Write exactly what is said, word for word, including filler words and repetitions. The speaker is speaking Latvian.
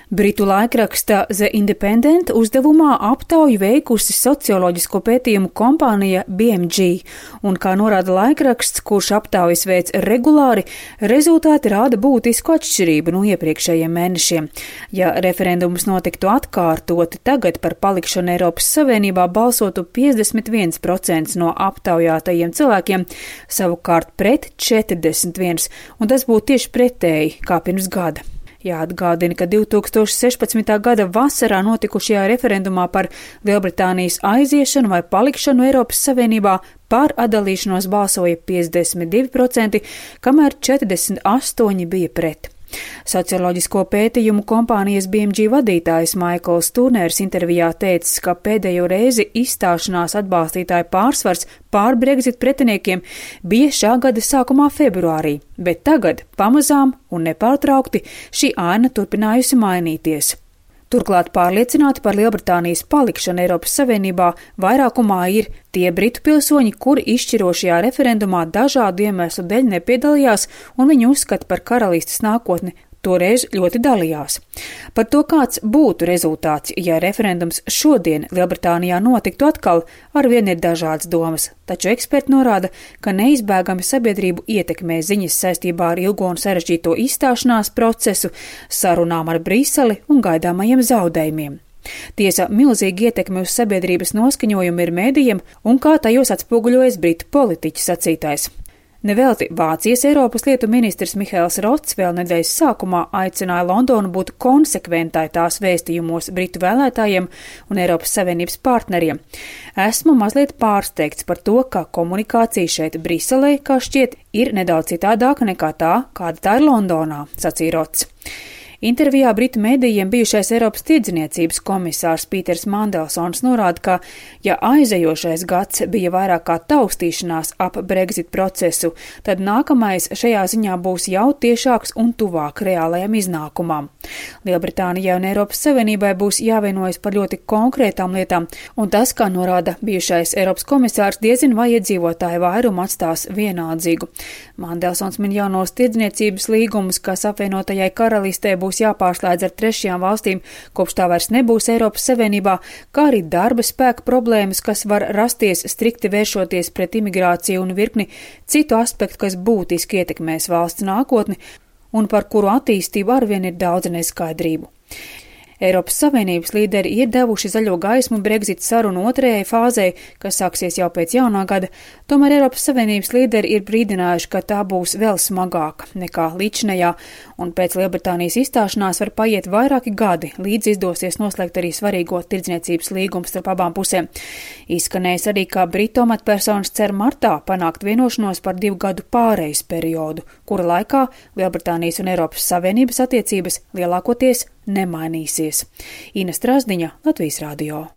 Britu laikraksta The Independent uzdevumā aptauju veikusi socioloģisko pētījumu kompānija B M G, un, kā norāda laikraksts, kurš aptaujas veic regulāri, rezultāti rāda būtisku atšķirību no iepriekšējiem mēnešiem. Ja referendums notiktu atkārtoti, tagad par palikšanu Eiropas Savienībā balsotu piecdesmit viens procents no aptaujātajiem cilvēkiem, savukārt pret četrdesmit viens, un tas būtu tieši pretēji kā pirms gada. Jāatgādina, ka divi tūkstoši sešpadsmitā gada vasarā notikušajā referendumā par Lielbritānijas aiziešanu vai palikšanu Eiropas Savienībā par atdalīšanos balsoja piecdesmit divi procenti, kamēr četrdesmit astoņi bija pret. Socioloģisko pētījumu kompānijas B M G vadītājs Maikls Turners intervijā teicis, ka pēdējo reizi izstāšanās atbalstītāju pārsvars pār Brexit pretiniekiem bija šā gada sākumā februārī, bet tagad pamazām un nepārtraukti šī aina turpinājusi mainīties. Turklāt pārliecināti par Lielbritānijas palikšanu Eiropas Savienībā vairākumā ir tie britu pilsoņi, kuri izšķirošajā referendumā dažādu iemeslu dēļ nepiedalījās, un viņi uzskata par karalistes nākotni toreiz ļoti dalījās. Par to, kāds būtu rezultāts, ja referendums šodien Lielbritānijā notiktu atkal, arvien ir dažādas domas, taču eksperti norāda, ka neizbēgami sabiedrību ietekmē ziņas saistībā ar ilgo un sarežģīto izstāšanās procesu, sarunām ar Briseli un gaidāmajiem zaudējumiem. Tiesa, milzīgi ietekmi uz sabiedrības noskaņojumu ir mēdījiem un kā tajos atspoguļojas britu politiķu sacītais. Nevelti Vācijas Eiropas lietu ministrs Mihails Rots vēl nedēļas sākumā aicināja Londonu būt konsekventai tās vēstījumos britu vēlētājiem un Eiropas Savienības partneriem. Esmu mazliet pārsteigts par to, ka komunikācija šeit Briselē, kā šķiet, ir nedaudz citādāka nekā tā, kāda tā ir Londonā, sacīja Rots. Intervijā britu mēdījiem bijušais Eiropas tirdzniecības komisārs Pīters Mandelsons norāda, ka, ja aizejošais gads bija vairāk kā taustīšanās ap Brexit procesu, tad nākamais šajā ziņā būs jau tiešāks un tuvāk reālajam iznākumam. Lielbritānijai un Eiropas Savienībai būs jāvienojas par ļoti konkrētām lietām, un tas, kā norāda bijušais Eiropas komisārs, diezin vai iedzīvotāju vairumu atstās vienaldzīgu. Mandelsons min jaunos tirdzniecības līgumus, kas apvienotajai karalistē būs būs jāpārslēdz ar trešajām valstīm, kopš tā vairs nebūs Eiropas Savienībā, kā arī darba spēka problēmas, kas var rasties strikti vēršoties pret imigrāciju un virkni citu aspektu, kas būtiski ietekmēs valsts nākotni un par kuru attīstību arvien ir daudz neskaidrību. Eiropas Savienības līderi ir devuši zaļo gaismu Brexit sarunu otrajai fāzei, kas sāksies jau pēc jaunā gada, tomēr Eiropas Savienības līderi ir brīdinājuši, ka tā būs vēl smagāka nekā līdzinējā, un pēc Lielbritānijas izstāšanās var paiet vairāki gadi, līdz izdosies noslēgt arī svarīgo tirdzniecības līgumu starp abām pusēm. Izskanējis arī, ka britu amatpersonas cer martā panākt vienošanos par divu gadu pārejas periodu, kura laikā Lielbritānijas un Eiropas Savienības attiecības lielākoties nemainīsies. Ina Strasdiņa, Latvijas radio.